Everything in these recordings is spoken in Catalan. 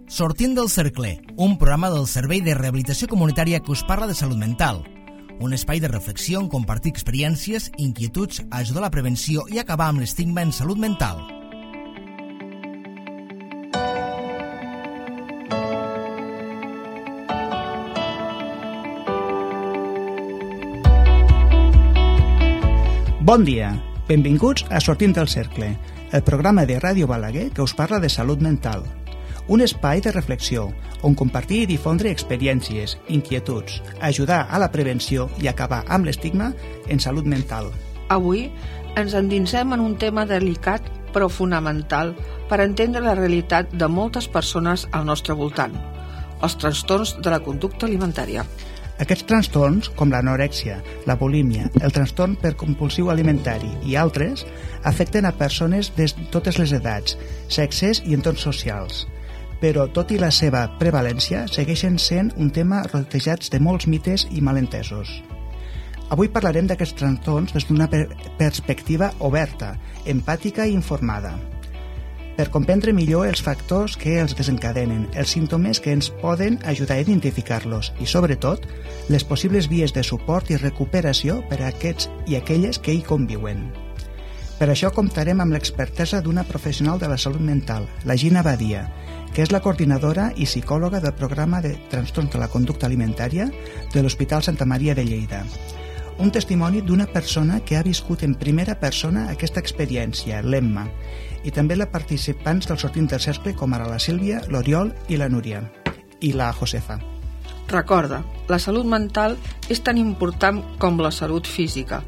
Sortint del cercle, un programa del Servei de Rehabilitació Comunitària que us parla de salut mental. Un espai de reflexió on compartir experiències, inquietuds, ajudar a la prevenció i acabar amb l'estigma en salut mental. Bon dia, benvinguts a Sortint del cercle, el programa de Ràdio Balaguer que us parla de salut mental. Un espai de reflexió on compartir i difondre experiències, inquietuds, ajudar a la prevenció i acabar amb l'estigma en salut mental. Avui ens endinsem en un tema delicat però fonamental per entendre la realitat de moltes persones al nostre voltant, els trastorns de la conducta alimentària. Aquests trastorns, com l'anorèxia, la bulímia, el trastorn per compulsiu alimentari i altres, afecten a persones de totes les edats, sexes i entorns socials. Però, tot i la seva prevalència, segueixen sent un tema rodejats de molts mites i malentesos. Avui parlarem d'aquests trastorns des d'una perspectiva oberta, empàtica i informada, per comprendre millor els factors que els desencadenen, els símptomes que ens poden ajudar a identificar-los i, sobretot, les possibles vies de suport i recuperació per a aquests i aquelles que hi conviuen. Per això comptarem amb l'expertesa d'una professional de la salut mental, la Gina Badia, que és la coordinadora i psicòloga del programa de trastorns de la conducta alimentària de l'Hospital Santa Maria de Lleida. Un testimoni d'una persona que ha viscut en primera persona aquesta experiència, l'Emma, i també les participants del Sortint del cercle com ara la Sílvia, l'Oriol i la Núria, i la Josefa. Recorda, la salut mental és tan important com la salut física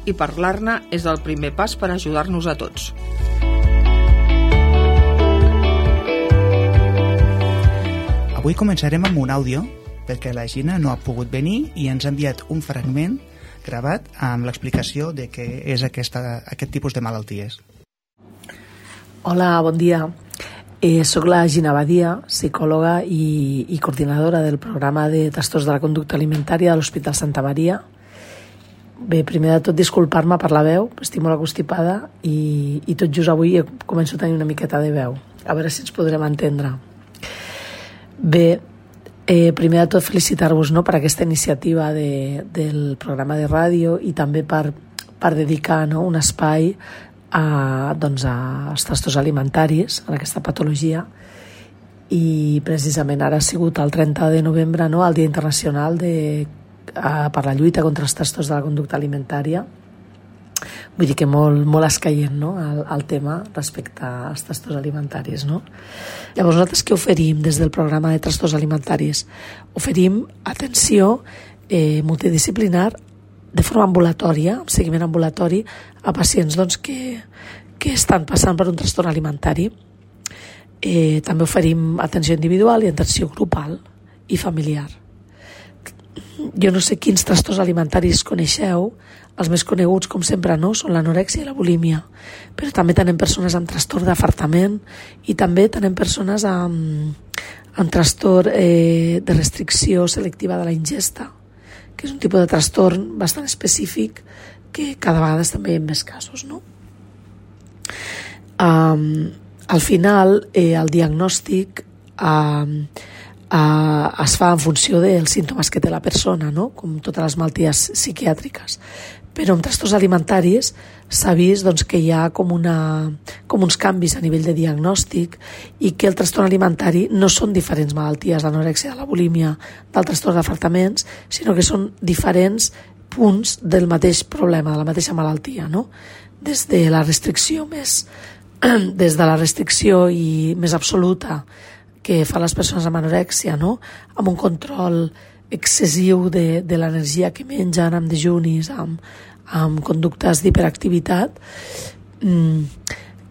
i parlar-ne és el primer pas per ajudar-nos a tots. Avui començarem amb un àudio perquè la Gina no ha pogut venir i ens ha enviat un fragment gravat amb l'explicació de què és aquest tipus de malalties. Hola, bon dia. Soc la Gina Badia, psicòloga i coordinadora del programa de trastorns de la conducta alimentària de l'Hospital Santa Maria. Bé, primer de tot, disculpar-me per la veu, estic molt constipada i tot just avui començo a tenir una miqueta de veu. A veure si ens podrem entendre. Bé, primer de tot felicitar-vos per aquesta iniciativa del programa de ràdio i també per dedicar un espai als trastorns alimentaris, en aquesta patologia. I precisament ara ha sigut el 30 de novembre, el Dia Internacional per la lluita contra els trastorns de la conducta alimentària. Vull dir que molt escaient el tema respecte als trastorns alimentaris. Llavors, nosaltres què oferim des del programa de trastorns alimentaris? Oferim atenció multidisciplinar de forma ambulatòria, amb seguiment ambulatori, a pacients que estan passant per un trastorn alimentari. També oferim atenció individual i atenció grupal i familiar. Jo no sé quins trastorns alimentaris coneixeu. Els més coneguts, com sempre, són l'anorèxia i la bulímia, però també tenim persones amb trastorn d'afartament i també tenim persones amb trastorn de restricció selectiva de la ingesta, que és un tipus de trastorn bastant específic que cada vegada també hi ha més casos. Al final, el diagnòstic es fa en funció dels símptomes que té la persona, com totes les malalties psiquiàtriques. Però en trastorns alimentaris s'ha vist que hi ha com uns canvis a nivell de diagnòstic i que el trastorn alimentari no són diferents malalties, l'anorèxia, la bulímia, del trastorn d'afartaments, sinó que són diferents punts del mateix problema, de la mateixa malaltia, des de la restricció i més absoluta que fan les persones amb anorèxia, amb un control excessiu de l'energia que mengen, amb dejunis, amb conductes d'hiperactivitat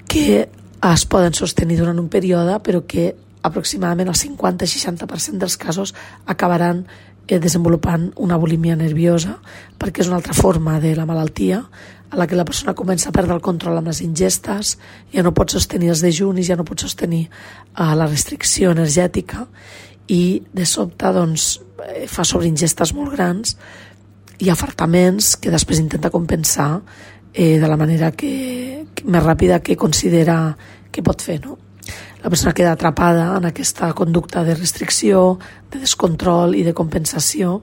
que es poden sostenir durant un període, però que aproximadament el 50-60% dels casos acabaran desenvolupant una bulímia nerviosa, perquè és una altra forma de la malaltia a la que la persona comença a perdre el control amb les ingestes, ja no pot sostenir els dejunis, ja no pot sostenir la restricció energètica i de sobte fa sobreingestes molt grans i afartaments que després intenta compensar de la manera més ràpida que considera que pot fer. La persona queda atrapada en aquesta conducta de restricció, de descontrol i de compensació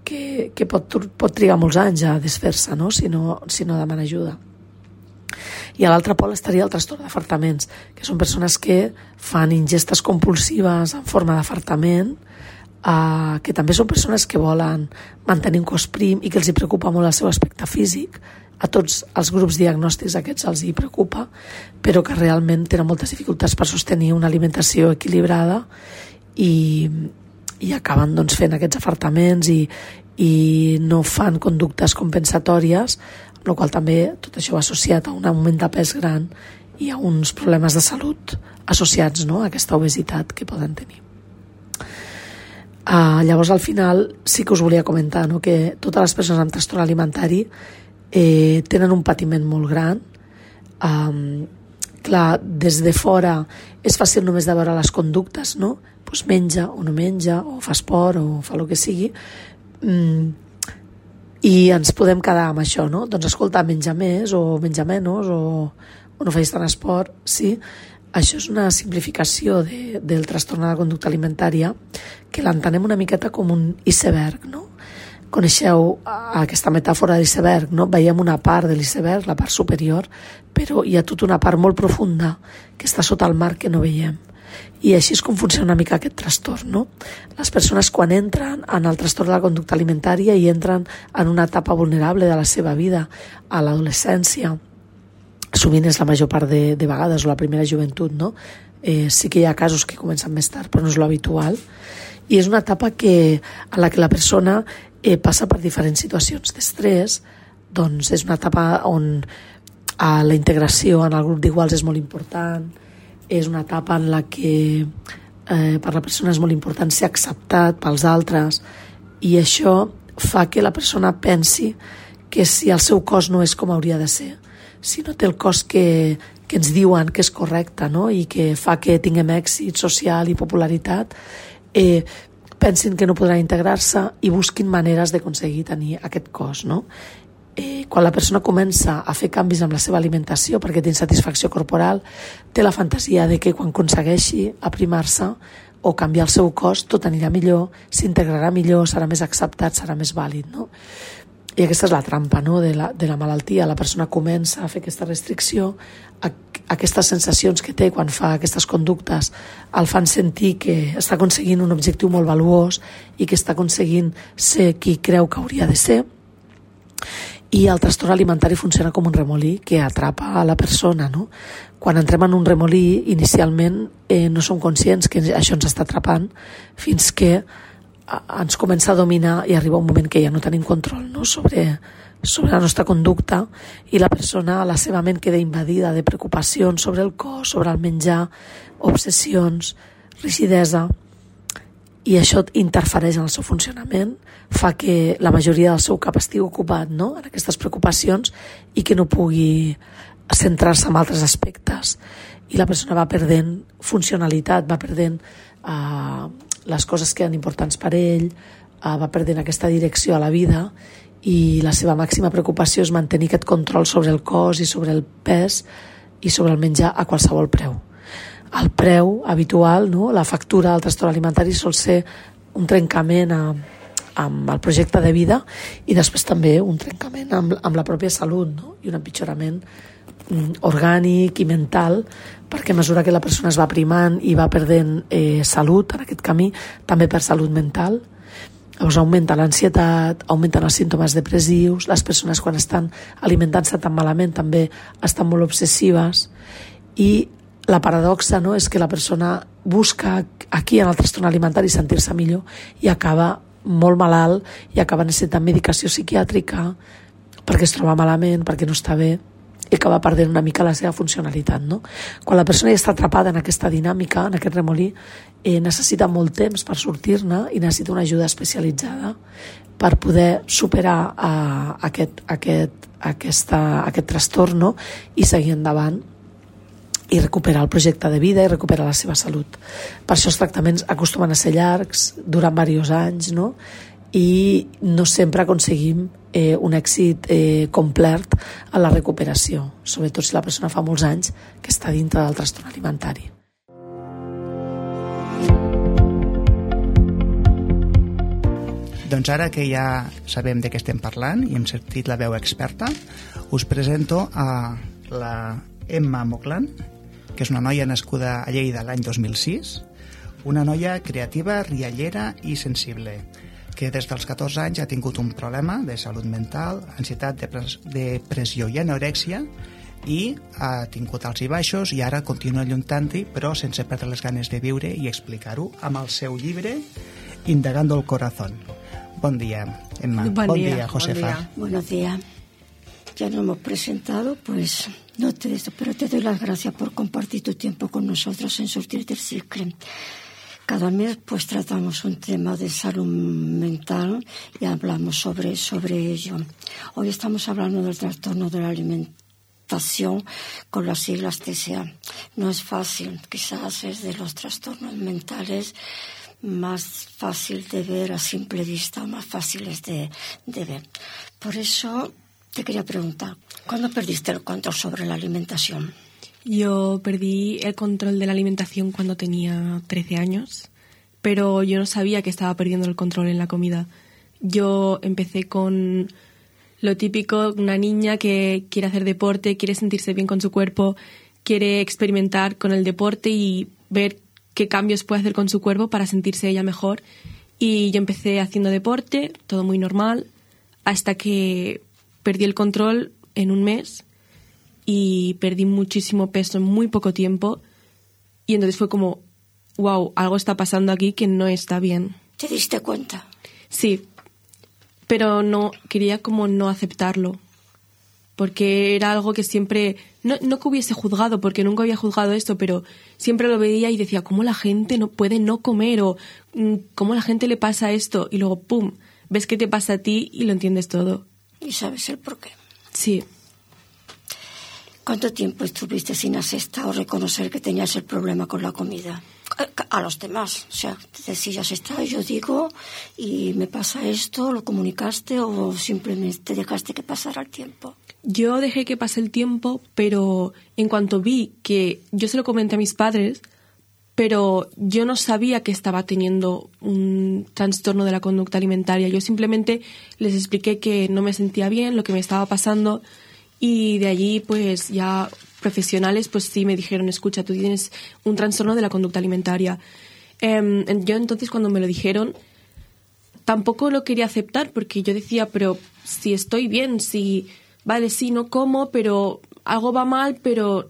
que pot trigar molts anys a desfer-se, no? si no demana ajuda. I a l'altre pol estaria el trastorn d'afartaments, que són persones que fan ingestes compulsives en forma d'afartament, que també són persones que volen mantenir un cos prim i que els hi preocupa molt el seu aspecte físic. A tots els grups diagnòstics aquests els hi preocupa, però que realment tenen moltes dificultats per sostenir una alimentació equilibrada i acaben fent aquests afartaments i no fan conductes compensatòries, amb la qual també tot això va associat a un augment de pes gran i a uns problemes de salut associats, no?, a aquesta obesitat que poden tenir. Llavors, al final, sí que us volia comentar, no?, que totes les persones amb trastorn alimentari tenen un patiment molt gran. Clar, des de fora és fàcil només de veure les conductes, no? Pues menja o no menja, o fa esport o fa el que sigui, i ens podem quedar amb això, no? Doncs escolta, menja més o menja menys o no facis tant esport, sí. Això és una simplificació del trastorn de la conducta alimentària que l'entenem una miqueta com un iceberg, no? Coneixeu aquesta metàfora de l'iceberg, no? Veiem una part de l'iceberg, la part superior, però hi ha tota una part molt profunda que està sota el mar que no veiem. I així és com funciona una mica aquest trastorn, no? Les persones quan entren en el trastorn de la conducta alimentària i entren en una etapa vulnerable de la seva vida, a l'adolescència, sovint és la major part de vegades, o la primera joventut, no? Sí que hi ha casos que comencen més tard, però no és l'habitual. I és una etapa en la que la persona passa per diferents situacions d'estrès. Doncs és una etapa on la integració en el grup d'iguals és molt important, és una etapa en la que per la persona és molt important ser acceptat pels altres, i això fa que la persona pensi que si el seu cos no és com hauria de ser, si no té el cos que ens diuen que és correcte, no?, i que fa que tinguem èxit social i popularitat, pensin que no podran integrar-se i busquin maneres d'aconseguir tenir aquest cos, no? Quan la persona comença a fer canvis amb la seva alimentació perquè té insatisfacció corporal, té la fantasia de que quan aconsegueixi aprimar-se o canviar el seu cos tot anirà millor, s'integrarà millor, serà més acceptat, serà més vàlid, no? I aquesta és la trampa, no?, de la malaltia. La persona comença a fer aquesta restricció, aquestes sensacions que té quan fa aquestes conductes el fan sentir que està aconseguint un objectiu molt valuós i que està aconseguint ser qui creu que hauria de ser. I el trastorn alimentari funciona com un remolí que atrapa a la persona, no? Quan entrem en un remolí, inicialment no som conscients que això ens està atrapant fins que ens comença a dominar i arriba un moment que ja no tenim control, no?, sobre la nostra conducta, i la persona, la seva ment queda invadida de preocupacions sobre el cos, sobre el menjar, obsessions, rigidesa, i això interfereix en el seu funcionament, fa que la majoria del seu cap estigui ocupat, no?, en aquestes preocupacions, i que no pugui centrar-se en altres aspectes, i la persona va perdent funcionalitat, va perdent les coses que eren importants per ell, va perdent aquesta direcció a la vida, i la seva màxima preocupació és mantenir aquest control sobre el cos i sobre el pes i sobre el menjar a qualsevol preu. El preu habitual, no?, la factura del trastorn alimentari sol ser un trencament amb el projecte de vida i després també un trencament amb la pròpia salut, no?, i un empitjorament orgànic i mental, perquè a mesura que la persona es va aprimant i va perdent salut en aquest camí, també perd salut mental. Llavors augmenta l'ansietat, augmenten els símptomes depressius, les persones quan estan alimentant-se tan malament també estan molt obsessives, i la paradoxa, no?, és que la persona busca aquí en el trastorn alimentari sentir-se millor i acaba molt malalt i acaba necessitant medicació psiquiàtrica perquè es troba malament, perquè no està bé, i acaba perdent una mica la seva funcionalitat, no? Quan la persona ja està atrapada en aquesta dinàmica, en aquest remolí, necessita molt temps per sortir-ne i necessita una ajuda especialitzada per poder superar aquest trastorn, no?, i seguir endavant i recuperar el projecte de vida i recuperar la seva salut. Per això els tractaments acostumen a ser llargs, duran diversos anys, no?, i no sempre aconseguim un èxit complet a la recuperació, sobretot si la persona fa molts anys que està dintre del trastorn alimentari. Doncs ara que ja sabem de què estem parlant i hem sentit la veu experta, us presento a la Emma Moclan, que és una noia nascuda a Lleida l'any 2006, una noia creativa, riallera i sensible, que des dels 14 anys ha tingut un problema de salut mental, ansietat, depressió i anorèxia, i ha tingut alts i baixos i ara continua lluitant-hi, però sense perdre les ganes de viure i explicar-ho amb el seu llibre Indagando el Corazón. Bon dia, Emma. Bon dia, Josefa. Buenos días. Ya nos hemos presentado, pues no te pero te doy las gracias por compartir tu tiempo con nosotros en Sortir del Ciclo. Cada mes pues tratamos un tema de salud mental y hablamos sobre ello. Hoy estamos hablando del trastorno de la alimentación con las siglas TCA. No es fácil, quizás es de los trastornos mentales más fácil de ver a simple vista, más fáciles de ver. Por eso te quería preguntar, ¿cuándo perdiste el control sobre la alimentación? Yo perdí el control de la alimentación cuando tenía 13 años, pero yo no sabía que estaba perdiendo el control en la comida. Yo empecé con lo típico, una niña que quiere hacer deporte, quiere sentirse bien con su cuerpo, quiere experimentar con el deporte y ver qué cambios puede hacer con su cuerpo para sentirse ella mejor. Y yo empecé haciendo deporte, todo muy normal, hasta que perdí el control en un mes y perdí muchísimo peso en muy poco tiempo. Y entonces fue como, wow, algo está pasando aquí que no está bien. ¿Te diste cuenta? Sí, pero no quería como no aceptarlo, porque era algo que siempre, no que hubiese juzgado, porque nunca había juzgado esto, pero siempre lo veía y decía, ¿cómo la gente no puede no comer? O ¿cómo la gente le pasa esto? Y luego, ¡pum!, ves que te pasa a ti y lo entiendes todo. ¿Y sabes el por qué? Sí. ¿Cuánto tiempo estuviste sin aceptar o reconocer que tenías el problema con la comida? A los demás, o sea, te decías, yo digo, y me pasa esto, ¿lo comunicaste o simplemente dejaste que pasara el tiempo? Yo dejé que pase el tiempo, pero en cuanto vi que yo se lo comenté a mis padres, pero yo no sabía que estaba teniendo un trastorno de la conducta alimentaria. Yo simplemente les expliqué que no me sentía bien, lo que me estaba pasando, y de allí pues ya profesionales pues sí me dijeron, escucha, tú tienes un trastorno de la conducta alimentaria. Yo entonces cuando me lo dijeron tampoco lo quería aceptar, porque yo decía, pero si estoy bien, si vale, sí, no como, pero algo va mal, pero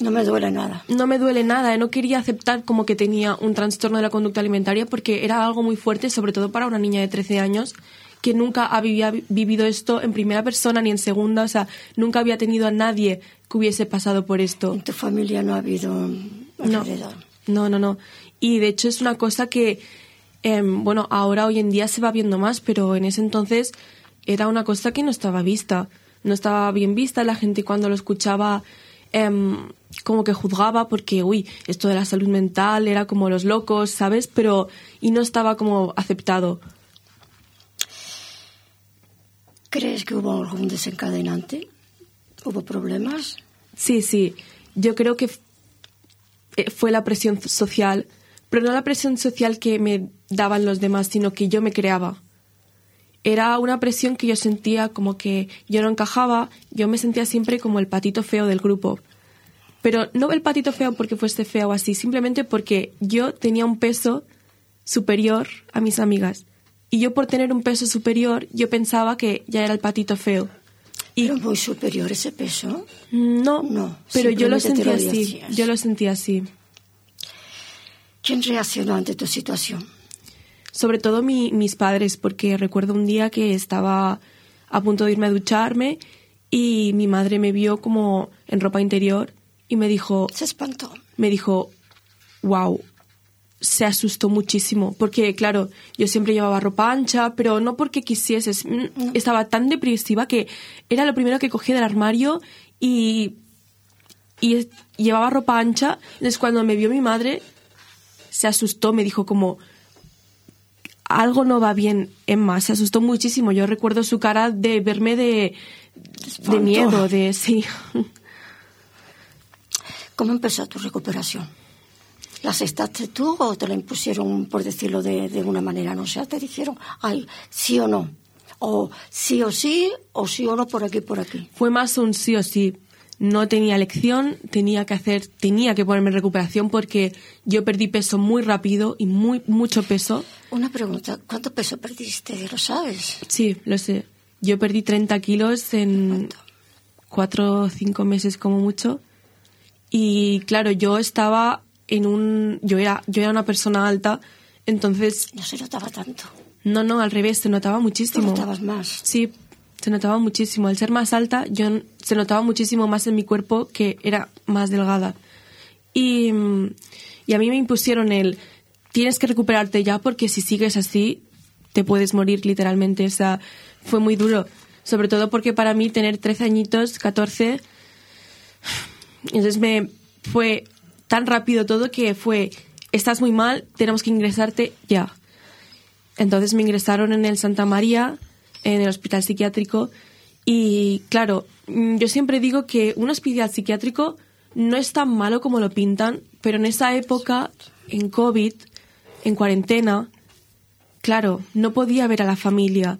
no me duele nada. No me duele nada. No quería aceptar como que tenía un trastorno de la conducta alimentaria, porque era algo muy fuerte, sobre todo para una niña de 13 años que nunca había vivido esto en primera persona ni en segunda. O sea, nunca había tenido a nadie que hubiese pasado por esto. ¿En tu familia no ha habido alrededor? No. Y de hecho es una cosa que, ahora hoy en día se va viendo más, pero en ese entonces era una cosa que no estaba vista. No estaba bien vista. La gente cuando lo escuchaba como que juzgaba porque, esto de la salud mental era como los locos, ¿sabes? Y no estaba como aceptado. ¿Crees que hubo algún desencadenante? ¿Hubo problemas? Sí. Yo creo que fue la presión social, pero no la presión social que me daban los demás, sino que yo me creaba. Era una presión que yo sentía como que yo no encajaba, yo me sentía siempre como el patito feo del grupo. Pero no el patito feo porque fuese feo o así, simplemente porque yo tenía un peso superior a mis amigas. Y yo por tener un peso superior, yo pensaba que ya era el patito feo. ¿Pero muy superior ese peso? No, pero yo lo sentía así. Yo lo sentía así. ¿Quién reaccionó ante tu situación? Sobre todo mis padres, porque recuerdo un día que estaba a punto de irme a ducharme y mi madre me vio como en ropa interior y me dijo... Se espantó. Me dijo, wow. Se asustó muchísimo, porque claro, yo siempre llevaba ropa ancha, pero no porque quisiese, estaba tan depresiva que era lo primero que cogía del armario y llevaba ropa ancha. Entonces cuando me vio mi madre se asustó, me dijo como, algo no va bien, Emma. Se asustó muchísimo. Yo recuerdo su cara de verme de miedo, sí. ¿Cómo empezó tu recuperación? ¿La aceptaste tú o te la impusieron, por decirlo de una manera? No sé, te dijeron, ay, sí o no. O sí o sí o no por aquí, por aquí. Fue más un sí o sí. No tenía elección, tenía que ponerme en recuperación porque yo perdí peso muy rápido y mucho peso. Una pregunta, ¿cuánto peso perdiste? ¿Lo sabes? Sí, lo sé. Yo perdí 30 kilos en 4 o 5 meses como mucho. Y claro, yo estaba yo era una persona alta, entonces... No se notaba tanto. No, al revés, se notaba muchísimo. ¿Te notabas más? Sí, se notaba muchísimo. Al ser más alta, se notaba muchísimo más en mi cuerpo que era más delgada. Y a mí me impusieron tienes que recuperarte ya porque si sigues así te puedes morir literalmente. O sea, fue muy duro. Sobre todo porque para mí tener 13 añitos, 14... Entonces fue tan rápido todo que estás muy mal, tenemos que ingresarte ya. Entonces me ingresaron en el Santa María, en el hospital psiquiátrico, y claro, yo siempre digo que un hospital psiquiátrico no es tan malo como lo pintan, pero en esa época, en COVID, en cuarentena, claro, no podía ver a la familia.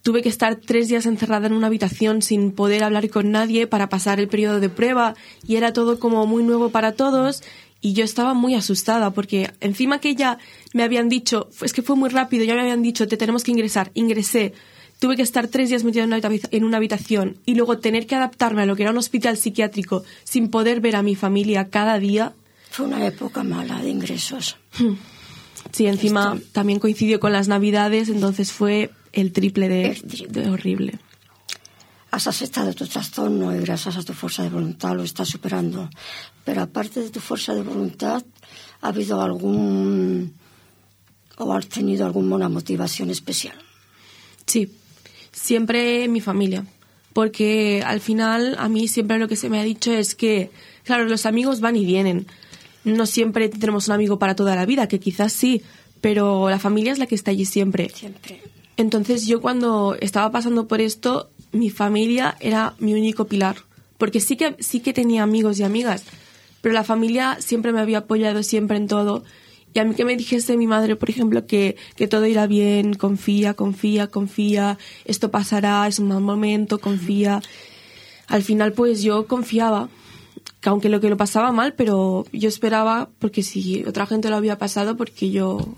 Tuve que estar 3 días encerrada en una habitación sin poder hablar con nadie para pasar el periodo de prueba y era todo como muy nuevo para todos y yo estaba muy asustada porque encima que ya me habían dicho, es que fue muy rápido, ya me habían dicho te tenemos que ingresar, ingresé, tuve que estar 3 días metida en una habitación y luego tener que adaptarme a lo que era un hospital psiquiátrico sin poder ver a mi familia cada día. Fue una época mala de ingresos. Sí, encima también coincidió con las Navidades, entonces fue el triple de horrible. Has aceptado tu trastorno y gracias a tu fuerza de voluntad lo estás superando. Pero aparte de tu fuerza de voluntad, ¿ha habido o has tenido alguna motivación especial? Sí, siempre mi familia. Porque al final a mí siempre lo que se me ha dicho es que, claro, los amigos van y vienen. No siempre tenemos un amigo para toda la vida, que quizás sí, pero la familia es la que está allí siempre. Siempre. Entonces yo cuando estaba pasando por esto, mi familia era mi único pilar. Porque sí que tenía amigos y amigas, pero la familia siempre me había apoyado siempre en todo. Y a mí que me dijese mi madre, por ejemplo, que todo irá bien, confía, esto pasará, es un mal momento, confía. Al final pues yo confiaba, que aunque lo pasaba mal, pero yo esperaba, porque si otra gente lo había pasado, porque yo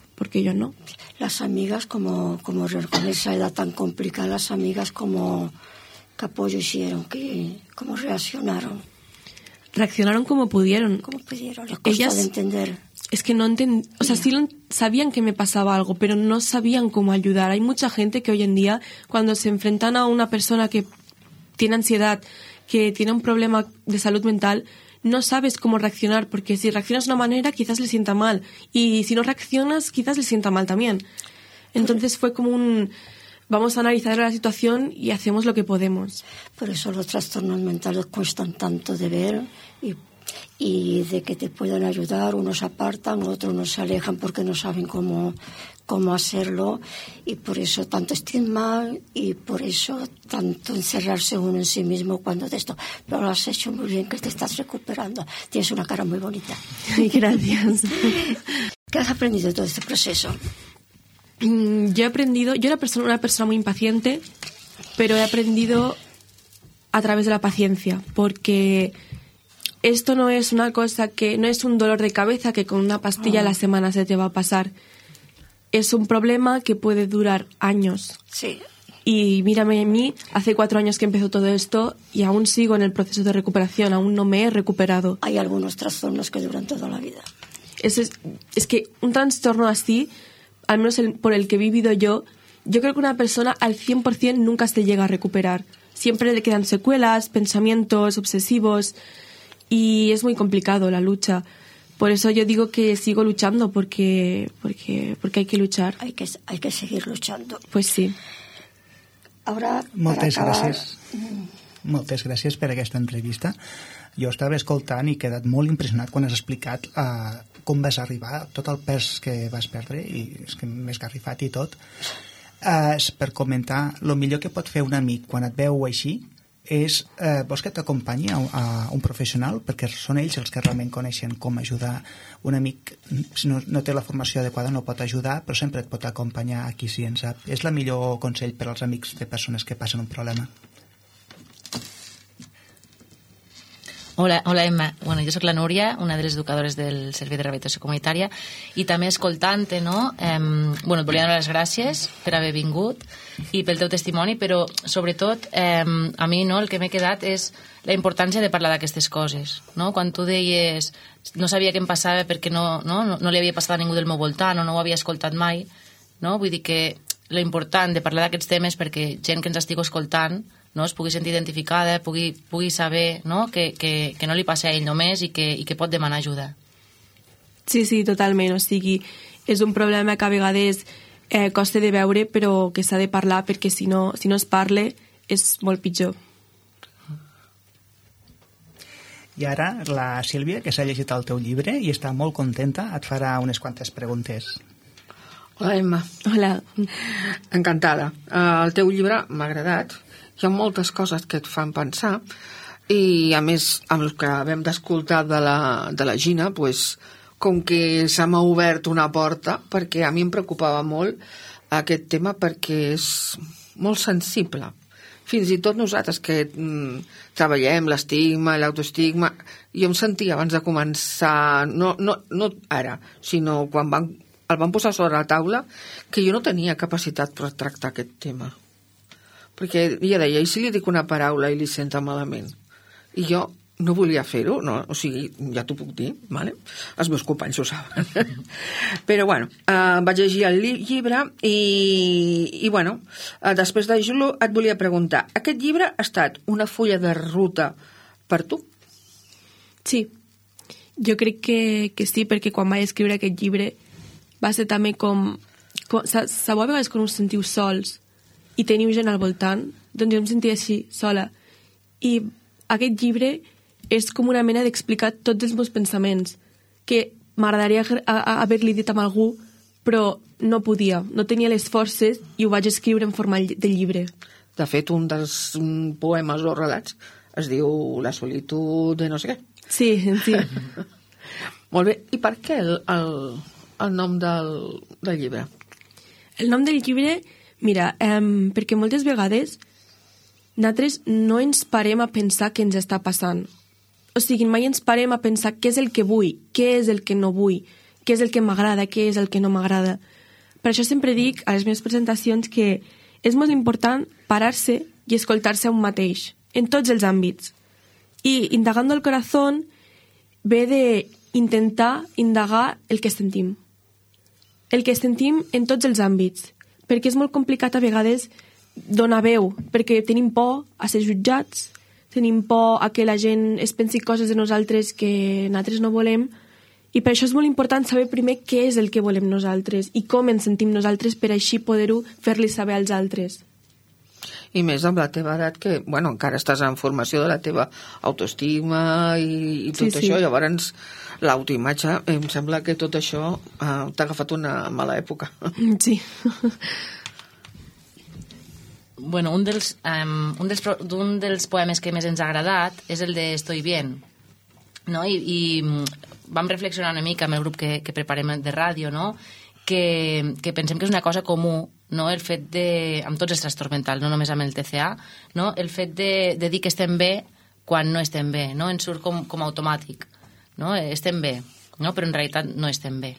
no. Las amigas, como con esa edad tan complicada, las amigas ¿qué apoyo hicieron? ¿Cómo reaccionaron? Reaccionaron como pudieron. ¿Cómo pudieron? Les costó Ellas, de entender. Es que no entendían, o sea, sí sabían que me pasaba algo, pero no sabían cómo ayudar. Hay mucha gente que hoy en día, cuando se enfrentan a una persona que tiene ansiedad, que tiene un problema de salud mental, no sabes cómo reaccionar, porque si reaccionas de una manera quizás le sienta mal y si no reaccionas quizás le sienta mal también. Entonces fue como vamos a analizar la situación y hacemos lo que podemos. Por eso los trastornos mentales cuestan tanto de ver y de que te puedan ayudar, unos apartan, otros se alejan porque no saben cómo hacerlo y por eso tanto estigma y por eso tanto encerrarse uno en sí mismo cuando de esto. Pero lo has hecho muy bien, que te estás recuperando. Tienes una cara muy bonita. Ay, gracias. ¿Qué has aprendido de todo este proceso? Yo he aprendido, yo era una persona muy impaciente, pero he aprendido a través de la paciencia, porque esto no es una cosa no es un dolor de cabeza que con una pastilla a la semana se te va a pasar. Es un problema que puede durar años. Sí. Y mírame a mí, hace 4 años que empezó todo esto y aún sigo en el proceso de recuperación, aún no me he recuperado. Hay algunos trastornos que duran toda la vida. Es que un trastorno así, al menos por el que he vivido yo creo que una persona al 100% nunca se llega a recuperar. Siempre le quedan secuelas, pensamientos obsesivos y es muy complicado la lucha. Por eso yo digo que sigo luchando porque hay que luchar. Hay que seguir luchando. Pues sí. Ara, Moltes gràcies per aquesta entrevista. Jo estava escoltant i he quedat molt impressionat quan has explicat com vas arribar, tot el pes que vas perdre, i és que m'he esgarrifat i tot. Per comentar, el millor que pot fer un amic quan et veu així vols que t'acompanyi a un professional, perquè són ells els que realment coneixen com ajudar un amic. Si no té la formació adequada no pot ajudar, però sempre et pot acompanyar a qui sí en sap. És el millor consell per als amics de persones que passen un problema. Hola Emma, jo soc la Núria, una de les educadores del Servei de Rehabilitació Comunitària, i també escoltant-te, no? Et volia donar les gràcies per haver vingut i pel teu testimoni, però sobretot a mi el que m'he quedat és la importància de parlar d'aquestes coses, no? Quan tu deies no sabia què em passava perquè no li havia passat a ningú del meu voltant o no ho havia escoltat mai, no? Vull dir que lo important de parlar d'aquests temes perquè gent que ens estigui escoltant es pugui sentir identificada, pugui saber que no li passa a ell només i que pot demanar ajuda. Sí, totalment. O sigui, és un problema que a vegades costa de veure, però que s'ha de parlar perquè si no es parla és molt pitjor. I ara la Sílvia, que s'ha llegit el teu llibre i està molt contenta, et farà unes quantes preguntes. Hola, Emma. Hola. Encantada. El teu llibre m'ha agradat. Hi ha moltes coses que et fan pensar i, a més, amb el que vam d'escoltar de la Gina, com que se m'ha obert una porta, perquè a mi em preocupava molt aquest tema perquè és molt sensible. Fins i tot nosaltres que treballem l'estigma, l'autoestigma, jo em sentia abans de començar, no ara, sinó quan el van posar sobre la taula, que jo no tenia capacitat per tractar aquest tema. Perquè ella deia, i si li dic una paraula i li senta malament? I jo no volia fer-ho, no? O sigui, ja t'ho puc dir, vale? Els meus companys ho saben. Però, bueno, vaig llegir el llibre i després de llegir-lo et volia preguntar, aquest llibre ha estat una fulla de ruta per tu? Sí, jo crec que sí, perquè quan vaig escriure aquest llibre va ser també com sabeu a vegades quan us sentiu sols i teniu gent al voltant, doncs jo em sentia així, sola. I aquest llibre és com una mena d'explicar tots els meus pensaments, que m'agradaria haver-li dit amb algú, però no podia, no tenia les forces i ho vaig escriure en forma de llibre. De fet, un dels poemes o relats es diu La solitud de no sé què. Sí. Molt bé, i per què el nom del llibre? El nom del llibre, mira, perquè moltes vegades nosaltres no ens parem a pensar què ens està passant. O sigui, mai ens parem a pensar què és el que vull, què és el que no vull, què és el que m'agrada, què és el que no m'agrada. Per això sempre dic a les meves presentacions que és molt important parar-se i escoltar-se a un mateix, en tots els àmbits. I indagando el corazón ve d'intentar indagar el que sentim. El que sentim en tots els àmbits, perquè és molt complicat a vegades donar veu, perquè tenim por a ser jutjats, tenim por a que la gent es pensi coses de nosaltres que nosaltres no volem, i per això és molt important saber primer què és el que volem nosaltres i com ens sentim nosaltres per així poder-ho fer-li saber als altres. I més amb la teva edat, que encara estàs en formació de la teva autoestima i tot això, llavors l'autoimatge, em sembla que tot això t'ha agafat una mala època. Sí. Bueno, un dels poemes que més ens ha agradat és el de Estoy bien, no? I vam reflexionar una mica amb el grup que preparem de ràdio, no? Que pensem que és una cosa comú, no? El fet amb tots els trastorns mentals, no només amb el TCA, no? El fet de dir que estem bé quan no estem bé, no? Ens surt com automàtic, no? Estem bé, no? Però en realitat no estem bé.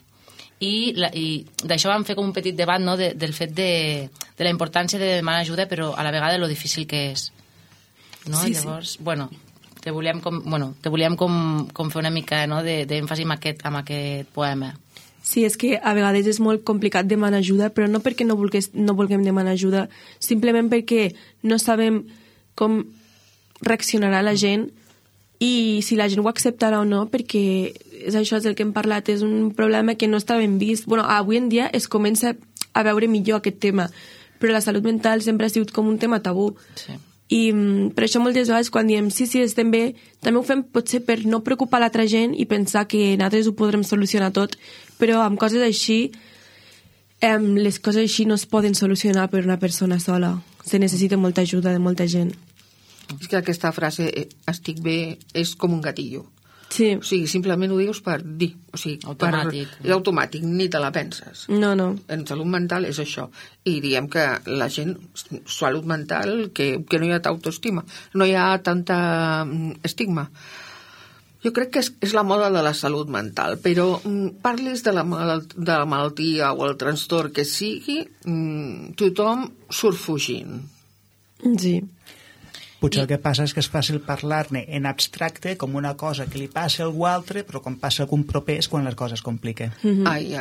I d'això vam fer com un petit debat, no? Del fet de la importància de demanar ajuda, però a la vegada lo difícil que és, no? Sí, llavors, te volíem com fer una mica, no? d'èmfasi amb aquest poema. Sí, és que a vegades és molt complicat demanar ajuda, però no perquè no vulguem demanar ajuda, simplement perquè no sabem com reaccionarà la gent i si la gent ho acceptarà o no, perquè això és el que hem parlat, és un problema que no està ben vist. Avui en dia es comença a veure millor aquest tema, però la salut mental sempre ha sigut com un tema tabú. Sí. I per això moltes vegades quan diem sí, estem bé, també ho fem potser per no preocupar l'altra gent i pensar que nosaltres ho podrem solucionar tot, però amb coses així les coses així no es poden solucionar per una persona sola, se necessita molta ajuda de molta gent. És que aquesta frase, estic bé, és com un gatillo. Sí. O sigui, simplement ho dius per dir. O sigui, automàtic. És automàtic, ni te la penses. No. En salut mental és això. I diem que la gent, salut mental, que no hi ha autoestima, no hi ha tanta estigma. Jo crec que és la moda de la salut mental, però parlis de la malaltia o el trastorn que sigui, tothom surt fugint. Sí. Potser el que passa és que és fàcil parlar-ne en abstracte com una cosa que li passa a algú altre, però quan passa a algun proper és quan les coses es compliquen. Ai.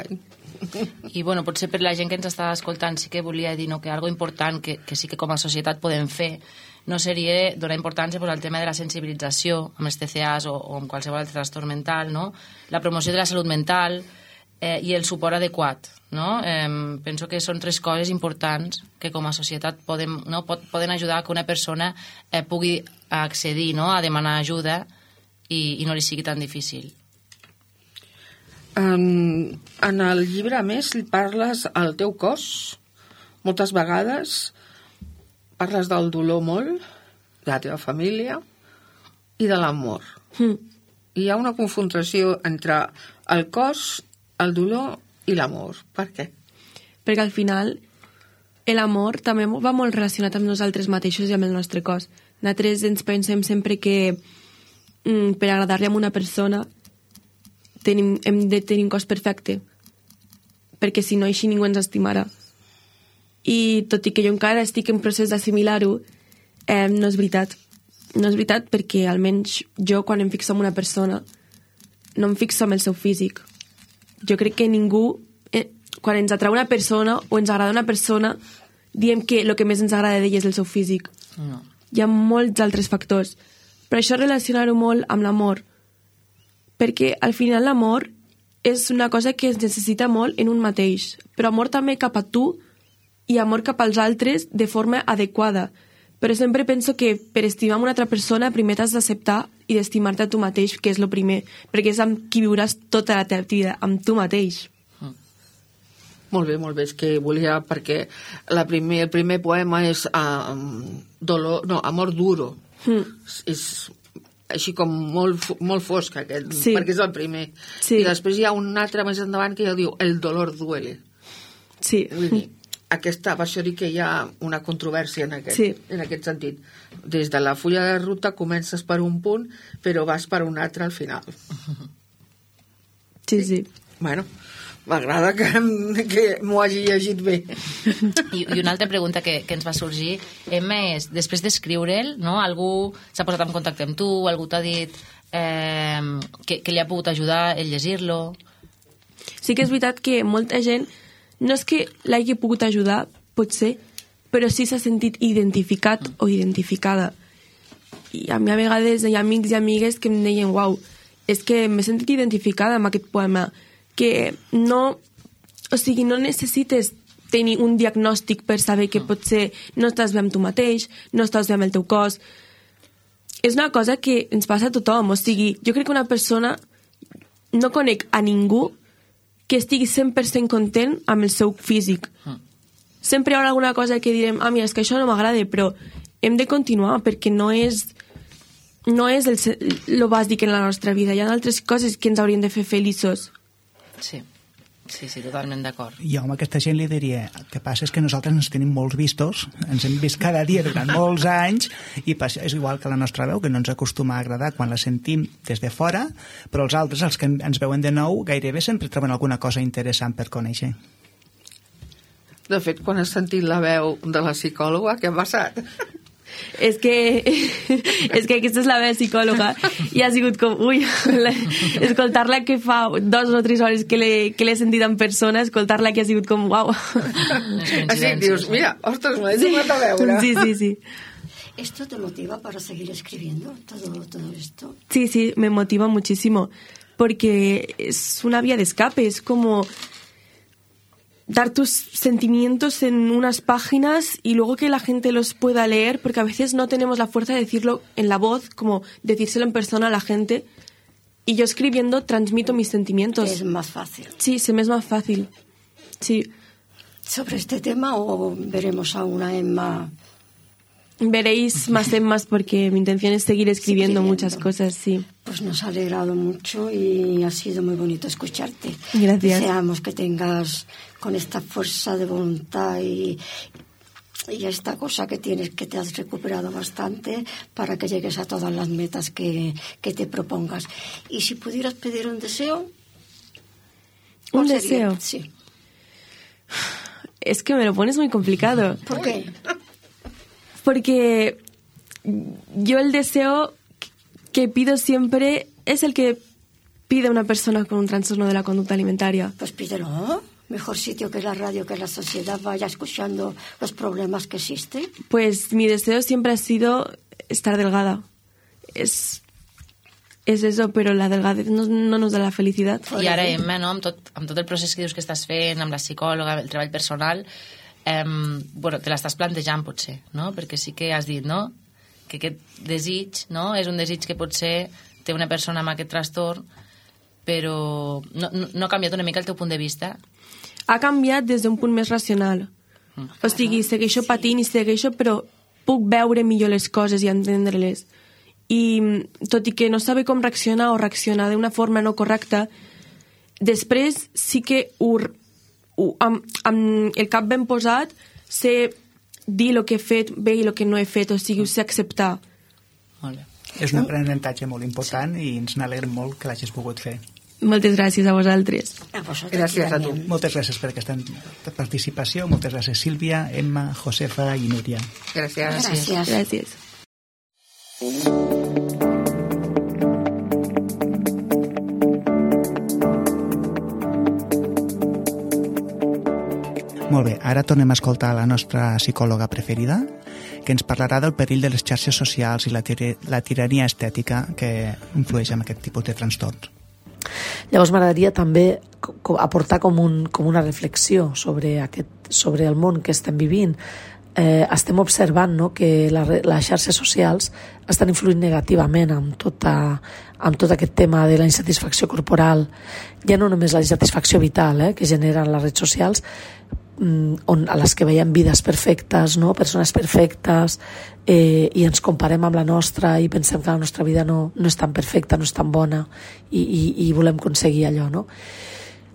I bueno, potser per la gent que ens està escoltant sí que volia dir que algo important que sí que com a societat podem fer no seria donar importància al tema de la sensibilització amb els TCAs o amb qualsevol altre trastorn mental, no? La promoció de la salut mental i el suport adequat, no? Penso que són 3 coses importants que com a societat poden ajudar que una persona pugui accedir, no? A demanar ajuda i no li sigui tan difícil. En el llibre, a més, parles al teu cos, moltes vegades parles del dolor molt, de la teva família i de l'amor. Hi ha una confrontació entre el cos, el dolor i l'amor. Per què? Perquè al final l'amor també va molt relacionat amb nosaltres mateixos i amb el nostre cos. Nosaltres ens pensem sempre que per agradar-li a una persona hem de tenir un cos perfecte, perquè si no així ningú ens estimarà. I tot i que jo encara estic en procés d'assimilar-ho, no és veritat. No és veritat perquè almenys jo quan em fixo en una persona no em fixo en el seu físic. Jo crec que ningú, quan ens atrau una persona o ens agrada una persona, diem que el que més ens agrada d'ella és el seu físic. No. Hi ha molts altres factors. Per això relacionar-ho molt amb l'amor. Perquè al final l'amor és una cosa que es necessita molt en un mateix. Però amor també cap a tu i amor cap als altres de forma adequada. Però sempre penso que per estimar una altra persona primer t'has d'acceptar i d'estimar-te a tu mateix, que és el primer, perquè és amb qui viuràs tota la teva vida, amb tu mateix. Molt bé, és que volia, perquè el primer poema és Amor duro. És així com molt fosc aquest, perquè és el primer. Sí. I després hi ha un altre més endavant que ja diu El dolor duele. Sí. Vull dir, aquesta va ser dir que hi ha una controvèrsia en aquest sentit. Des de la fulla de ruta comences per un punt, però vas per un altre al final. Sí. Bueno, m'agrada que m'ho hagi llegit bé. I una altra pregunta que ens va sorgir, Emma, és, després d'escriure'l, no? Algú s'ha posat en contacte amb tu, algú t'ha dit que li ha pogut ajudar el llegir-lo? Sí que és veritat que molta gent no és que l'hagi pogut ajudar, potser, però sí s'ha sentit identificat o identificada. I a mi a vegades hi ha amics i amigues que em deien uau, és que m'he sentit identificada amb aquest poema, que no, o sigui, no necessites tenir un diagnòstic per saber que potser no estàs bé amb tu mateix, no estàs bé amb el teu cos. És una cosa que ens passa a tothom, o sigui, jo crec que una persona, no conec a ningú que estigui 100% content amb el seu físic. Sempre hi haurà alguna cosa que direm mira, és que això no m'agrada, però hem de continuar perquè no és el bàsic en la nostra vida. Hi ha altres coses que ens haurien de fer feliços. Sí, totalment d'acord. Jo amb aquesta gent li diria el que passa és que nosaltres ens tenim molts vistos, ens hem vist cada dia durant molts anys i és igual que la nostra veu, que no ens acostuma a agradar quan la sentim des de fora, però els altres, els que ens veuen de nou, gairebé sempre troben alguna cosa interessant per conèixer. De fet, quan has sentit la veu de la psicòloga, què ha passat? És que aquesta és la meva psicòloga i ha sigut com, escoltar-la que fa 2 o 3 hores que l'he sentit en persona, escoltar-la que ha sigut com, uau. Així dius, mira, ostres, m'he tornat a veure. Sí. ¿Esto te motiva para seguir escribiendo todo esto? Sí, me motiva muchísimo, porque es una vía de escape, es como dar tus sentimientos en unas páginas y luego que la gente los pueda leer, porque a veces no tenemos la fuerza de decirlo en la voz, como decírselo en persona a la gente, y yo escribiendo transmito mis sentimientos. Es más fácil. Sí, se me es más fácil. Sí. ¿Sobre este tema o veremos a una Emma Veréis más temas porque mi intención es seguir escribiendo muchas cosas, sí. Pues nos ha alegrado mucho y ha sido muy bonito escucharte. Gracias. Deseamos que tengas con esta fuerza de voluntad y esta cosa que tienes, que te has recuperado bastante para que llegues a todas las metas que te propongas. Y si pudieras pedir un deseo... ¿Un deseo? Sí. Es que me lo pones muy complicado. ¿Por qué? Porque yo el deseo que pido siempre es el que pide una persona con un trastorno de la conducta alimentaria. Pues pídelo. Mejor sitio que la radio, que la sociedad vaya escuchando los problemas que existen. Pues mi deseo siempre ha sido estar delgada. Es eso, però la delgadez no nos da la felicitat. I ara, Emma, no, amb tot el procés que dius que estàs fent, amb la psicòloga, el treball personal, bueno, te l'estàs plantejant, potser, no? Perquè sí que has dit, no?, que aquest desig, no?, és un desig que potser té una persona amb aquest trastorn, però no ha canviat una mica el teu punt de vista? Ha canviat des d'un punt més racional. O sigui, segueixo patint i segueixo, però puc veure millor les coses i entendre-les. I tot i que no sabe com reaccionar o reaccionar d'una forma no correcta, després sí que amb el cap ben posat sé dir el que he fet bé i el que no he fet, o sigui, ho sé acceptar. Molt bé. És un aprenentatge molt important i ens n'alegrem molt que l'hagis pogut fer. Moltes gràcies a vosaltres. Gràcies a tu. Moltes gràcies per aquesta participació. Moltes gràcies, Sílvia, Emma, Josefa i Núria. Gràcies. Gràcies. Molt bé, ara tornem a escoltar la nostra psicòloga preferida, que ens parlarà del perill de les xarxes socials i la tirania estètica que influeix en aquest tipus de trastorns. Llavors m'agradaria també aportar com una reflexió sobre el món que estem vivint. Estem observant, no?, que les xarxes socials estan influint negativament amb tot aquest tema de la insatisfacció corporal, ja no només la insatisfacció vital que generen les redes socials, a les que veiem vides perfectes, no?, persones perfectes, i ens comparem amb la nostra i pensem que la nostra vida no és tan perfecta, no és tan bona, i volem aconseguir allò, no?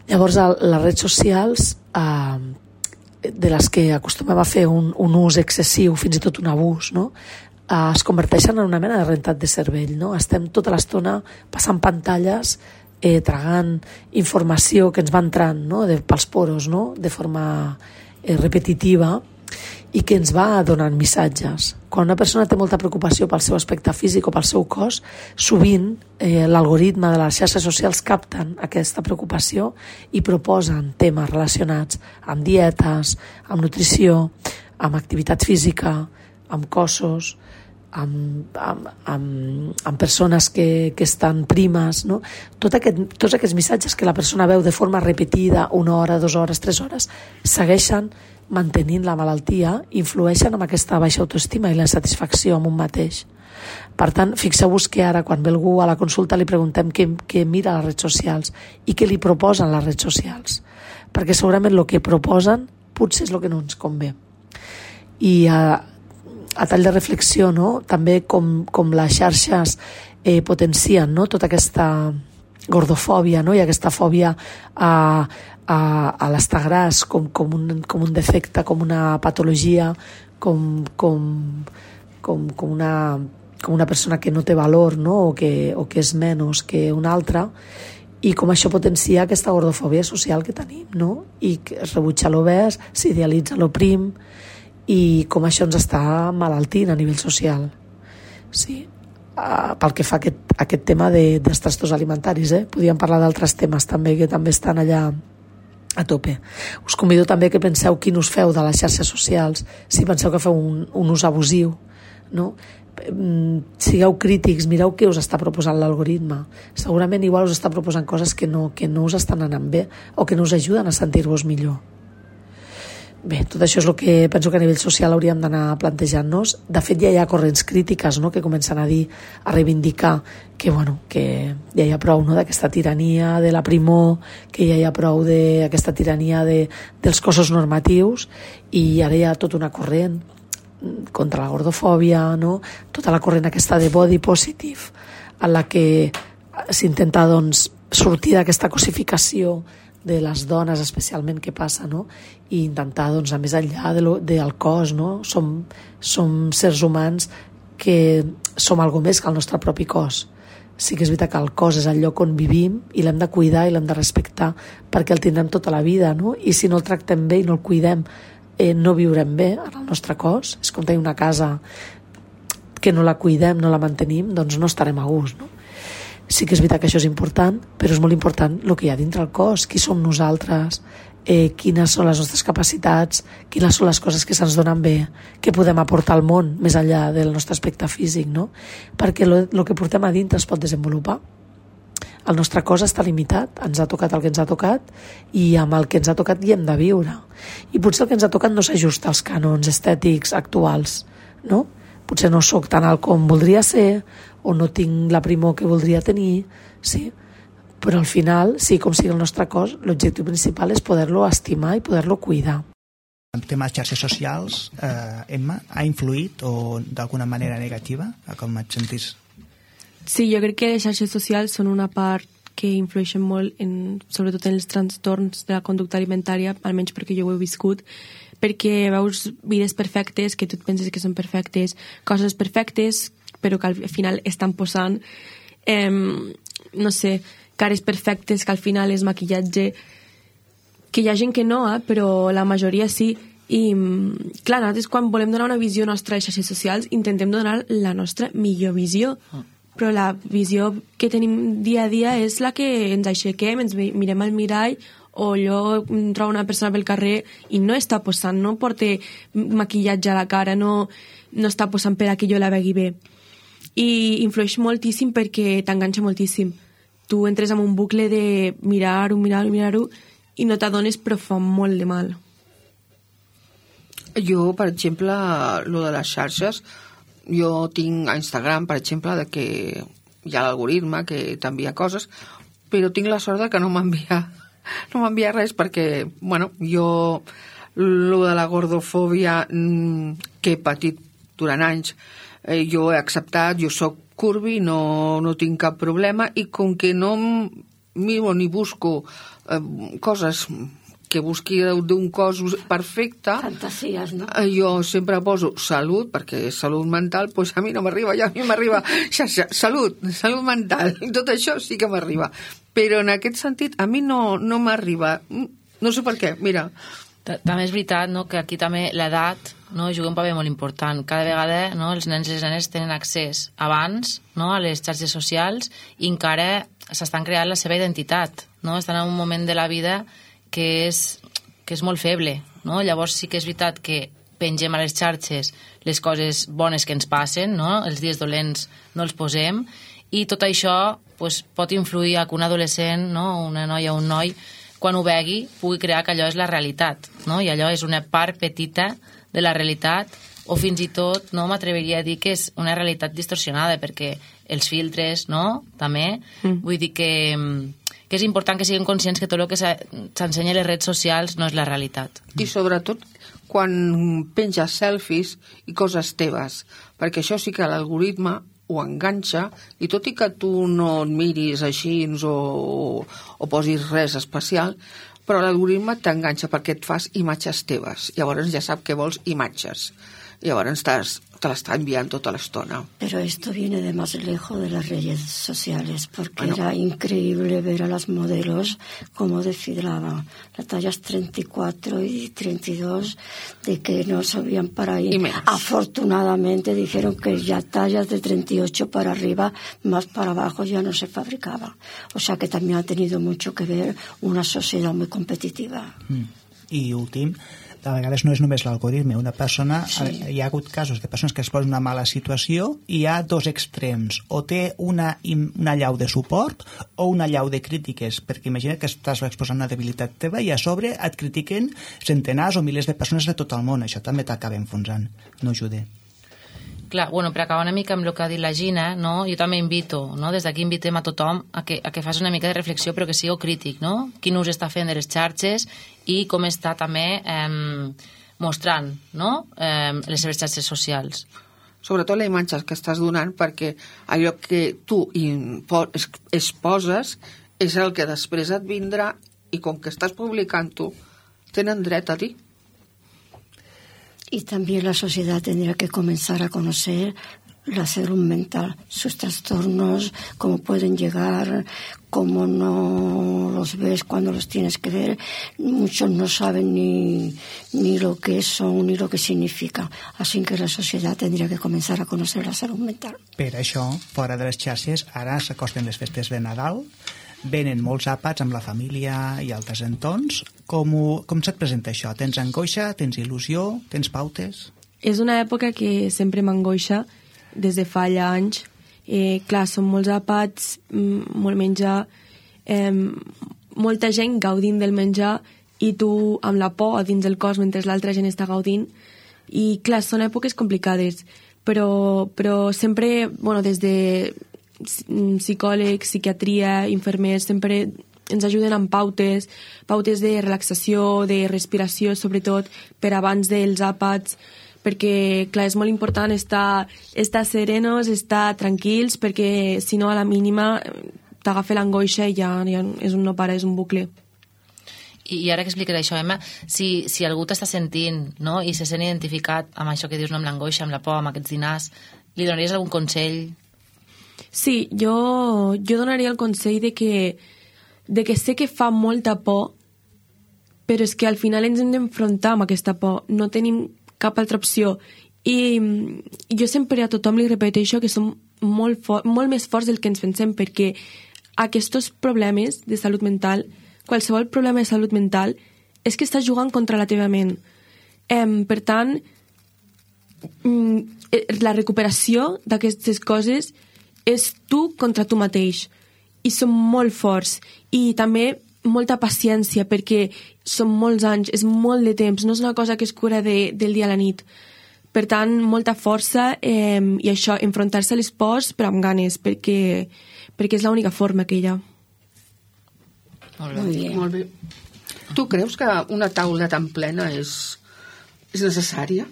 Llavors, les redes socials, de les que acostumem a fer un ús excessiu, fins i tot un abús, no?, es converteixen en una mena de rentat de cervell, no? Estem tota l'estona passant pantalles, tragant informació que ens va entrant, no?, pels poros, no?, de forma repetitiva, i que ens va donant missatges. Quan una persona té molta preocupació pel seu aspecte físic o pel seu cos, sovint l'algoritme de les xarxes socials capten aquesta preocupació i proposen temes relacionats amb dietes, amb nutrició, amb activitat física, amb cossos, amb persones que estan primes, no? Tots aquests missatges que la persona veu de forma repetida, 1 hora, 2 hores, 3 hores, segueixen mantenint la malaltia, influeixen amb aquesta baixa autoestima i la insatisfacció amb un mateix. Per tant, fixeu-vos que ara, quan ve algú a la consulta, li preguntem què mira a les redes socials i què li proposen les redes socials, perquè segurament el que proposen potser és el que no ens convé. I a tall de reflexió, no?, també com les xarxes potencien, no?, tota aquesta gordofòbia, no?, i aquesta fòbia a l'estar gras com un defecte, com una patologia, com una persona que no té valor, no?, o que és menys que una altra, i com això potencia aquesta gordofòbia social que tenim, no?, i que es rebutja l'obès, s'idealitza l'oprim, i com això ens està malaltint a nivell social. Sí, pel que fa a aquest tema dels trastorns alimentaris, podríem parlar d'altres temes també que també estan allà a tope. Us convido també que penseu quin ús feu de les xarxes socials, si penseu que feu un ús abusiu, no? Sigueu crítics, mireu què us està proposant l'algoritme. Segurament igual us està proposant coses que no us estan anant bé o que no us ajuden a sentir-vos millor. Bé, tot això és el que penso que a nivell social hauríem d'anar plantejant-nos. De fet, ja hi ha corrents crítiques, no?, que comencen a dir, a reivindicar que ja hi ha prou, no?, d'aquesta tirania de la primor, que ja hi ha prou d'aquesta tirania dels cossos normatius, i ara hi ha tota una corrent contra la gordofòbia, no? Tota la corrent aquesta de body positive, en la que s'intenta doncs, sortir d'aquesta cosificació de les dones especialment que passa, no? I intentar doncs, anar més enllà del cos, no? Som sers humans que som algo més que el nostre propi cos. Sí que és veritat que el cos és el lloc on vivim i l'hem de cuidar i l'hem de respectar perquè el tindrem tota la vida, no? I si no el tractem bé i no el cuidem, no viurem bé en el nostre cos. És com tenir una casa que no la cuidem, no la mantenim, doncs no estarem a gust, no? Sí que és veritat que això és important, però és molt important el que hi ha dintre el cos, qui som nosaltres, quines són les nostres capacitats, quines són les coses que se'ns donen bé, què podem aportar al món més enllà del nostre aspecte físic, no? Perquè el que portem a dintre es pot desenvolupar. El nostre cos està limitat, ens ha tocat el que ens ha tocat i amb el que ens ha tocat hi hem de viure. I potser el que ens ha tocat no s'ajusta als cànons estètics actuals, no? Potser no sóc tan alt com voldria ser o no tinc la primor que voldria tenir, sí? Però al final, sí, com sigui el nostre cos, l'objectiu principal és poder-lo estimar i poder-lo cuidar. El tema de xarxes socials, Emma, ha influït o d'alguna manera negativa, com et sentís? Sí, jo crec que les xarxes socials són una part que influeixen molt, sobretot en els trastorns de la conducta alimentària, almenys perquè jo ho he viscut, perquè veus vides perfectes, que tu et penses que són perfectes, coses perfectes, però que al final estan posant, no sé, cares perfectes, que al final és maquillatge, que hi ha gent que no, però la majoria sí. I, clar, nosaltres quan volem donar una visió nostra a les xarxes socials intentem donar la nostra millor visió, però la visió que tenim dia a dia és la que ens aixequem, ens mirem al mirall, o jo trobo una persona pel carrer i no està posant, no porta maquillatge a la cara, no està posant per a que jo la vegi bé. I influeix moltíssim perquè t'enganxa moltíssim. Tu entres en un bucle de mirar-ho i no t'adones, però fa molt de mal. Jo, per exemple, lo de les xarxes, jo tinc a Instagram, per exemple, de que hi ha l'algoritme que t'envia coses, però tinc la sort de que no m'envia res perquè, bueno, jo lo de la gordofòbia que he patit durant anys, jo he acceptat, jo soc curvi, no tinc cap problema, i com que no miro ni busco coses que busqui d'un cos perfecte, fantasies, no? Jo sempre poso salut, perquè salut mental, doncs a mi no m'arriba, ja a mi m'arriba salut mental, tot això sí que m'arriba, però en aquest sentit a mi no m'arriba, no sé per què, mira. També és veritat, no?, que aquí també l'edat, no, juga un paper molt important. Cada vegada, no, els nens i les nenes tenen accés abans, no, a les xarxes socials i encara s'estan creant la seva identitat, no? Estan en un moment de la vida que és molt feble, no? Llavors sí que és veritat que pengem a les xarxes les coses bones que ens passen, no? Els dies dolents no els posem, i tot això pues, pot influir a que un adolescent, no, una noia o un noi, quan ho vegui, pugui crear que allò és la realitat, no? I allò és una part petita de la realitat, o fins i tot, no, m'atreviria a dir que és una realitat distorsionada, perquè els filtres, no?, també, vull dir que és important que siguin conscients que tot el que s'ensenya a les redes socials no és la realitat. I sobretot quan penges selfies i coses teves, perquè això sí que l'algoritme ho enganxa, i tot i que tu no et miris així o posis res especial, però l'algoritme t'enganxa perquè et fas imatges teves. Llavors ja sap que vols imatges. Llavors te l'està enviant tota l'estona. Pero esto viene de más lejos de las redes sociales, porque era increíble ver a las modelos cómo desfilaban las tallas 34 y 32, de que no sabían para ahí. Afortunadamente dijeron que ya tallas de 38 para arriba, más para abajo ya no se fabricaban. O sea que también ha tenido mucho que ver una sociedad muy competitiva. I últim, de vegades no és només l'algoritme, una persona, hi ha hagut casos de persones que es posen en una mala situació i hi ha dos extrems, o té una allau de suport o una allau de crítiques, perquè imagina que estàs exposant una debilitat teva i a sobre et critiquen centenars o milers de persones de tot el món, això també t'acaba enfonsant, no ajuda. Clar, bueno, per acabar una mica amb el que ha dit la Gina, no? Jo també invito, no? Des d'aquí invitem a tothom a que faci una mica de reflexió, però que sigui crític, no? Quin ús està fent de les xarxes i com està també mostrant, no?, les seves xarxes socials. Sobretot la imatge que estàs donant, perquè allò que tu exposes és el que després et vindrà, i com que estás publicando, tienen derecho a ti. Y también la sociedad tendría que comenzar a conocer la salud mental, sus trastornos, cómo pueden llegar, cómo no los ves cuando los tienes que ver. Muchos no saben ni lo que son ni lo que significa. Así que la sociedad tendría que comenzar a conocer la salud mental. Per això, fora de les xarxes, ara s'acosten les festes de Nadal, venen molts àpats amb la família i altres entorns. Com se't presenta això? Tens angoixa? Tens il·lusió? Tens pautes? És una època que sempre m'angoixa des de fa ja anys. Clar, són molts àpats, molt menjar, molta gent gaudint del menjar i tu amb la por a dins del cos mentre l'altra gent està gaudint. I clar, són èpoques complicades, però sempre, des de psicòlegs, psiquiatria, infermers, sempre ens ajuden amb pautes de relaxació, de respiració, sobretot per abans dels àpats, perquè, clar, és molt important estar serenos, estar tranquils, perquè si no a la mínima t'agafa l'angoixa i ja és un no para, és un bucle. I ara que expliques això, Emma, si algú t'està sentint, no?, i se sent identificat amb això que dius, no?, amb l'angoixa, amb la por, amb aquests dinars, li donaries algun consell? Sí, jo donaria el consell de que sé que fa molta por, però és que al final ens hem d'enfrontar amb aquesta por, no tenim cap altra opció. I jo sempre a tothom li repeteixo que som molt més forts del que ens pensem, perquè aquests problemes de salut mental, qualsevol problema de salut mental, és que estàs jugant contra la teva ment. Per tant, la recuperació d'aquestes coses és tu contra tu mateix, i som molt forts, i també molta paciència, perquè són molts anys, és molt de temps, no és una cosa que es cura del dia a la nit. Per tant, molta força, i això, enfrontar-se a les pors, però amb ganes, perquè és l'única forma que hi ha. Molt bé. Tu creus que una taula tan plena és necessària?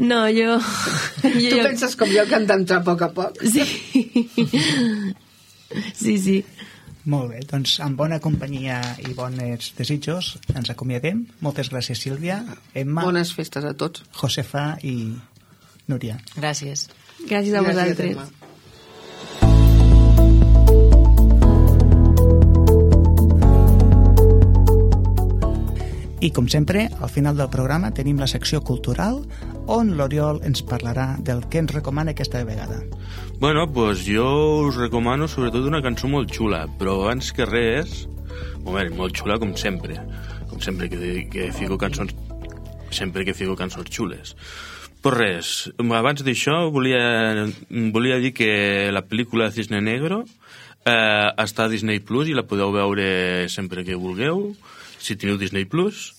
No, jo... Tu penses com jo que han d'entrar a poc a poc? Sí. Molt bé, doncs amb bona companyia i bons desitjos ens acomiadem. Moltes gràcies, Sílvia, Emma... Bones festes a tots. Josefa i Núria. Gràcies. Gràcies a vosaltres. Emma. I, com sempre, al final del programa tenim la secció cultural, on l'Oriol ens parlarà del que ens recomana aquesta vegada. Bueno, pues jo us recomano sobretot una cançó molt xula, però abans que res, molt xula com sempre que fico cançons xules. Però res, abans d'això volia dir que la pel·lícula Cisne Negro està a Disney Plus i la podeu veure sempre que vulgueu, si teniu Disney Plus,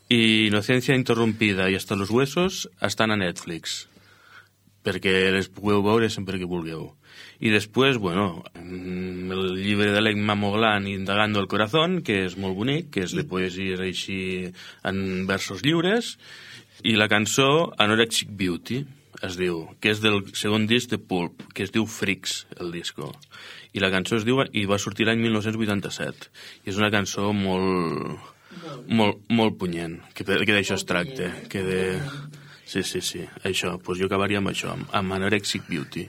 i Inocencia Interrompida i Hasta los Huesos estan a Netflix, perquè les pugueu veure sempre que vulgueu. I després, el llibre de l'Emma Moglan, Indagando el Corazón, que és molt bonic, que és de poesies així en versos lliures, i la cançó Anorexic Beauty, es diu, que és del segon disc de Pulp, que es diu Freaks, el disco. I la cançó es diu, i va sortir l'any 1987, i és una cançó molt punyent, que d'això es tracta, que de... Sí, això, doncs jo acabaria amb això, amb Anorexic Beauty.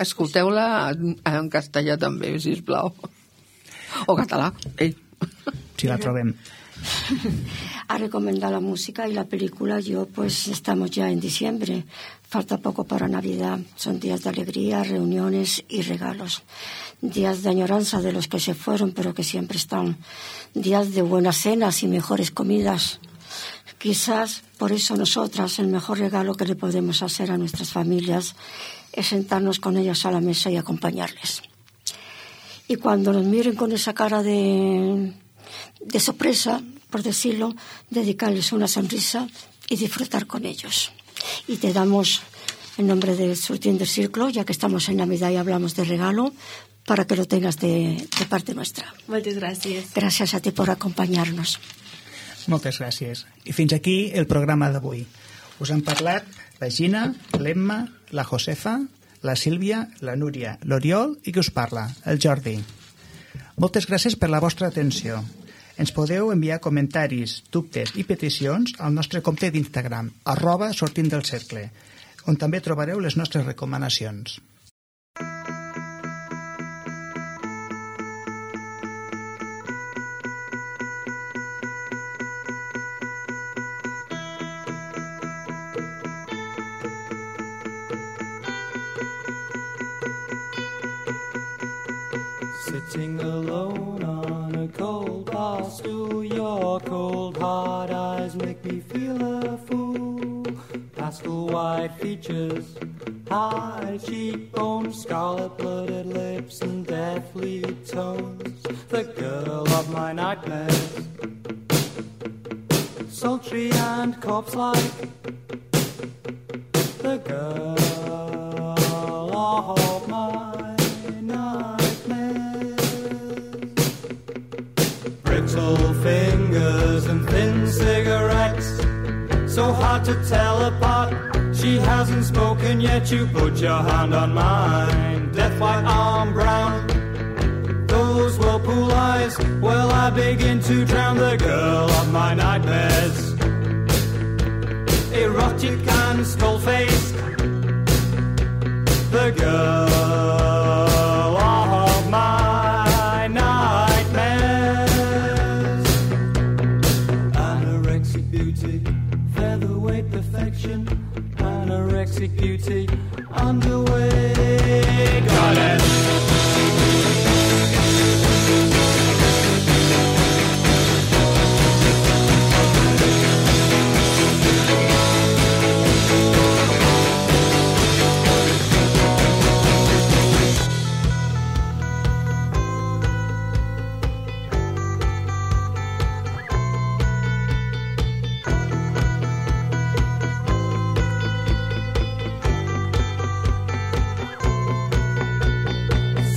Escolteu-la en castellà també, sisplau. O català, Si la trobem. A recomendar la música y la película, estamos ya en diciembre, falta poco para Navidad, son días de alegría, reuniones y regalos, días de añoranza de los que se fueron pero que siempre están, días de buenas cenas y mejores comidas. Quizás por eso nosotras el mejor regalo que le podemos hacer a nuestras familias es sentarnos con ellas a la mesa y acompañarles. Y cuando nos miren con esa cara de sorpresa, por decirlo, dedicarles una sonrisa y disfrutar con ellos. Y te damos, en nombre de Surtiendo el Círculo, ya que estamos en Navidad y hablamos de regalo, para que lo tengas de parte nuestra. Muchas gracias. Gracias a ti por acompañarnos. Moltes gràcies. I fins aquí el programa d'avui. Us han parlat la Gina, l'Emma, la Josefa, la Sílvia, la Núria, l'Oriol i qui us parla, el Jordi. Moltes gràcies per la vostra atenció. Ens podeu enviar comentaris, dubtes i peticions al nostre compte d'Instagram, @sortintdelcercle, on també trobareu les nostres recomanacions. Sitting alone on a cold bar stool, your cold hard eyes make me feel a fool. Pastel white features, high cheekbones, scarlet-blooded lips and deathly tones. The girl of my nightmares, sultry and corpse-like. The girl of my nightmares. Brittle fingers and thin cigarettes, so hard to tell apart. She hasn't spoken yet, you put your hand on mine. Death white, arm brown, those whirlpool eyes. Well, I begin to drown. The girl of my nightmares, erotic and skull-faced. The girl of my nightmares. Anorexic beauty, featherweight perfection. Anorexic beauty, underway. Got it.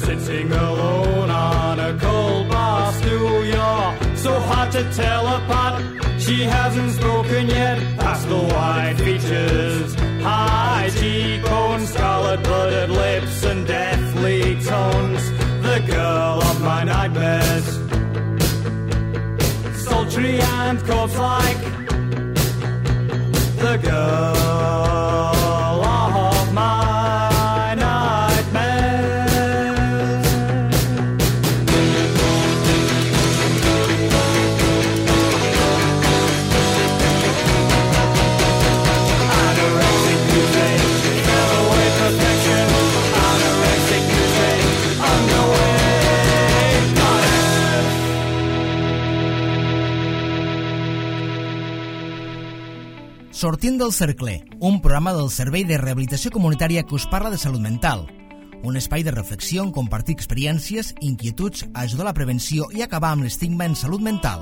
Sitting alone on a cold bar stool, you're so hard to tell apart. She hasn't spoken yet, pastel white features, high cheekbones, scarlet-blooded lips and deathly tones. The girl of my nightmares, sultry and corpse-like. The girl of my nightmares. Anorexic beauty, featherweight perfection. Anorexic beauty, underway. Got it. Sortint del cercle, un programa del Servei de Rehabilitació Comunitària que us parla de salut mental. Un espai de reflexió on compartir experiències, inquietuds, ajudar a la prevenció i acabar amb l'estigma en salut mental.